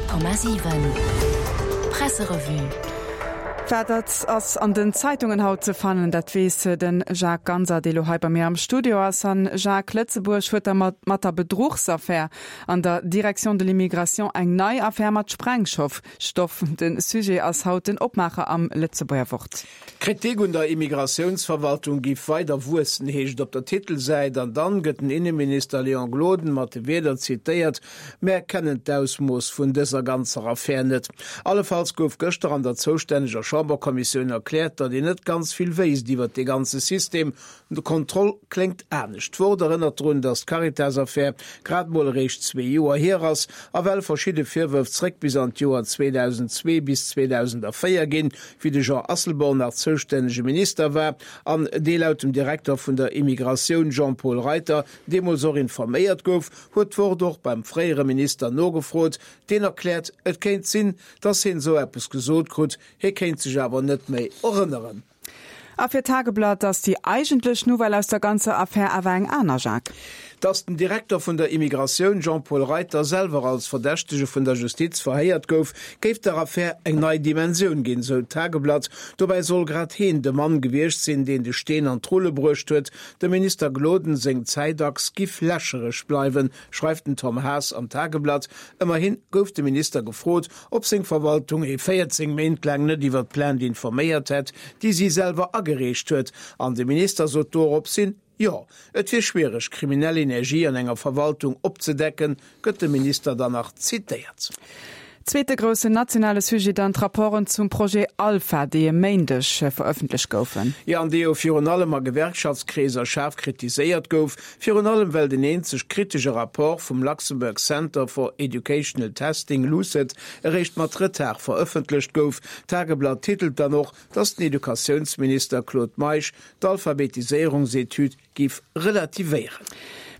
100,7 Presserevue. Wat dat ass an den Zeitungen haut ze fannen, dat weess de Jacques Ganser, dee lo hei bei mir am Studio ass. An Jacques, Lëtzebuerg huet da mat der Bedruchsaffär an der Direction de l'immigration eng nei Affär mat Sprengstoff. De Sujet ass haut den Opmaacher am Lëtzebuerger Wort. D'Kritik un der Immigratiounsverwaltung giff weider wuessen, heescht et op der Titelsäit. An dann gëtt den Inneminister Léon Gloden mat de Wierder zitéiert, Mär kennen d'Ausmooss vun dëser ganzer Affär net. Allefalls gouf gëschter an der zoustänneger Chamberkommissioun erkläert, datt een net ganz vill wéisst iwwert dee ganze System. De Kontroll kléngt anescht. D'Wort erënnert drun, datt d'Caritas-Affär grad mol eréischt zwee Joer hier ass a well verschidde Virwërf zréck bis an d'Joer 2002 bis 2004 ginn, wéi de Jean Asselborn nach zoustännege Minister war an dee laut dem Direkter vun der Immigratioun Jean-Paul Reiter deemools och informéiert gouf, huet d'Wort och beim fréiere Minister nogefrot. Deen erkläert, et kéint sinn, datt hien esou eppes gesot krut, hie kéint sech awer net méi erënneren. A fir d'Tageblatt ass déi eigentlech Nouvelle aus der ganzer Affär awer eng aner, Jacques. Datt den Direkter vun der Immigratioun Jean-Paul Reiter selwer als Verdächtege vun der Justiz verhéiert gouf, géif der Affär eng nei Dimensioun ginn, sou d'Tageblatt. Dobäi soll grad heen de Mann gewiescht sinn, deen de Steen an d'Rulle bruecht huet. Dem Minister Gloden seng Zäitachs giff lächereg bleiwen, schreift den Tom Haas am Tageblatt. Ëmmerhin gouf de Minister gefrot, ob seng Verwaltung ee 14 Méint laang net iwwer d'Plainte informéiert hätt, déi si selwer agereecht huet. An de Minister sot dorops hin, Jo, et wier schwiereg, kriminell Energie an enger Verwaltung opzedecken, gëtt de Minister dann nach zitéiert. Zweete groussen nationale Sujet dann d'Rapporten zum Projet Alpha, déi e Méindeg verëffentlecht goufen. Jo, an dee jo virun allem a Gewerkschaftskreeser schaarf kritiséiert gouf, Virun allem well den eenzeg kritesche Rapport vum Luxembourg Center for Educational Testing, LUCET, eréischt mat Retard verëffentlecht gouf. D'Tageblatt titelt dann och, datt den Educatiounsminister Claude Meisch d'Alphabetiséierungsetüd giff relativéieren.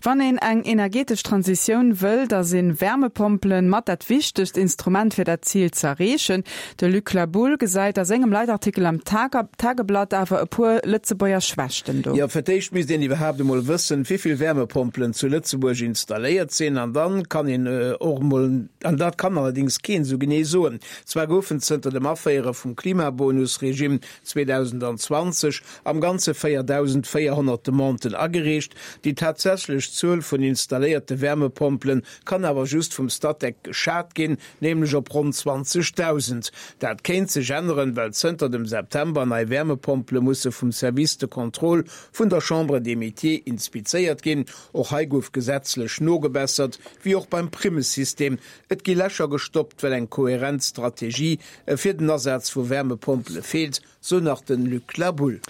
Wann een eng energetesch Transitioun wëll, da si Wärmepompelen mat dat wichtegst Instrument fir dat Zil z'erreechen. De Luc Laboulle gesäit a sengem Leitartikel am Tageblatt awer e puer Lëtzebuerger Schwächten do. Jo, fir d'éischt misst een iwwerhaapt emol wëssen, wéivill Wärmepompelen zu Lëtzebuerg installéiert sinn. An dann kann een och emol, an dat kann allerdéngs keen esou genee soen, zwar goufen zënter dem Aféiere vum Klimabonus-Regime 2020 am Ganze 4.400 Demanden agereecht, déi tatsächlech Zuel vun installéierte Wärmepompelen kann awer just vum Statec geschat ginn, nämlech op ronn 20.000. Dat kéint sech änneren, well zënter dem September nei Wärmepompele musse vum Service de contrôle vun der Chambre des Métiers inspizéiert ginn. Och hei gouf gesetzlech nogebessert, wéi och beim Primmesystem. Et gi Lächer gestoppt, well eng kohärent Strategie fir den Asaz vu Wärmepompele feelt. Sou nach den Luc Laboulle.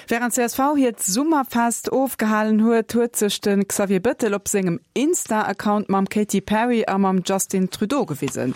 Wärend csv hiert Summerfest ofgehalen huet, huet sech de Xavier Bëttel op sengem Insta-Account mam Katy Perry a mam Justin Trudeau gewisen.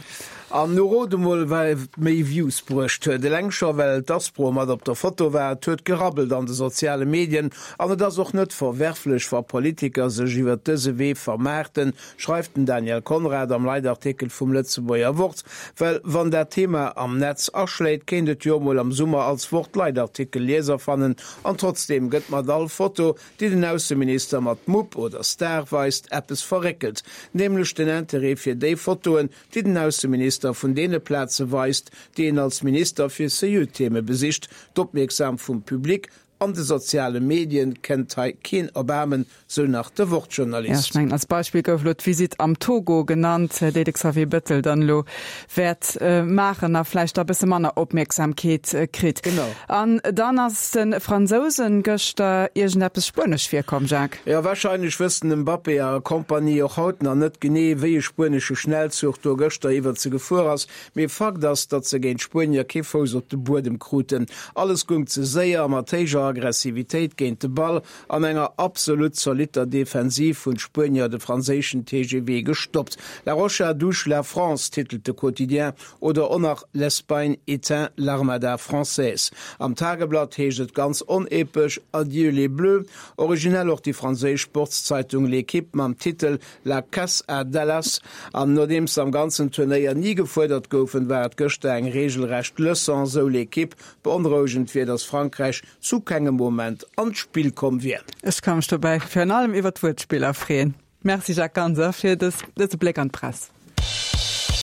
An nu rot emol wat méi Views bruecht huet. Eleng scho well d'Aspro mat op der Foto war. Et huet gerabbelt an de soziale Medien an et ass och net verwerflech wa Politiker sech iwwert dëse Wee vermaarten, schreift den Daniel Conrad am Leitartikel vum Lëtzebuerger Wort. Well wann dat Thema am Netz aschléit, kéint et jo emol am Summer als Wort-Leitartikel Lieser fannen. An trotzdeem gëtt mat all Foto, déi den Ausseminister mat Mupp oder Star weist, eppes verréckelt, nämlech den Interêt fir déi Fotoen, déi den Ausseminister vun deene Plaze weist, déi en als Minister fir Serieux-Theme besicht. D'Opmierksam vum Public An de soziale Medien kennt hei keen Erbaarmen, sou nach de Ja, ech Wort-Journalist. mengen, als Beispill gouf elo d'Visitt am Togo genannt, déi de Xavier Bettel dann elo wäert maachen a vläicht da e bësse manner Opmierksamkeet kritt. Genau. An dann ass de Fransousen gëschter iergendeppes Spuenesch virkomm, Jacques. Jo, warscheinlech wëssen den Mbappé a Compagnie och haut nach net genee, wéi e spuenesche Schnellzuch do gëschter iwwert se gefuer ass. Mee Fakt ass, datt se géint d'Spuenier kee Fouss op de Buedem kruten. Alles goung ze séier a mat héijer Aggressivitéit géint de Ball. An enger absolut zolitter Defensiv hunn d'Spuenier de franséischen TGV gestoppt. La Roja douche la France, titelt de Quotidien, oder och nach L'Espagne éteint l'armada française. Am Tageblatt heescht et ganz onepesch Adieu les Bleus. Originell och déi franséisch Sportszeitung L'Equipe mam Titel La Casse à Dallas, an nodeems se am ganzen Turnéier ni gefuerdert goufen, war et gëschter eng reegelrecht Leçon, sou L'Equipe. Beonrouegend wier, datt Frankräich zu kengem Moment an d'Spill komm wier. Ech ka mech dobäi virun allem iwwer d'Wuertspiller freeën. Merci Jacques Ganser fir dëse Bléck an d'Press.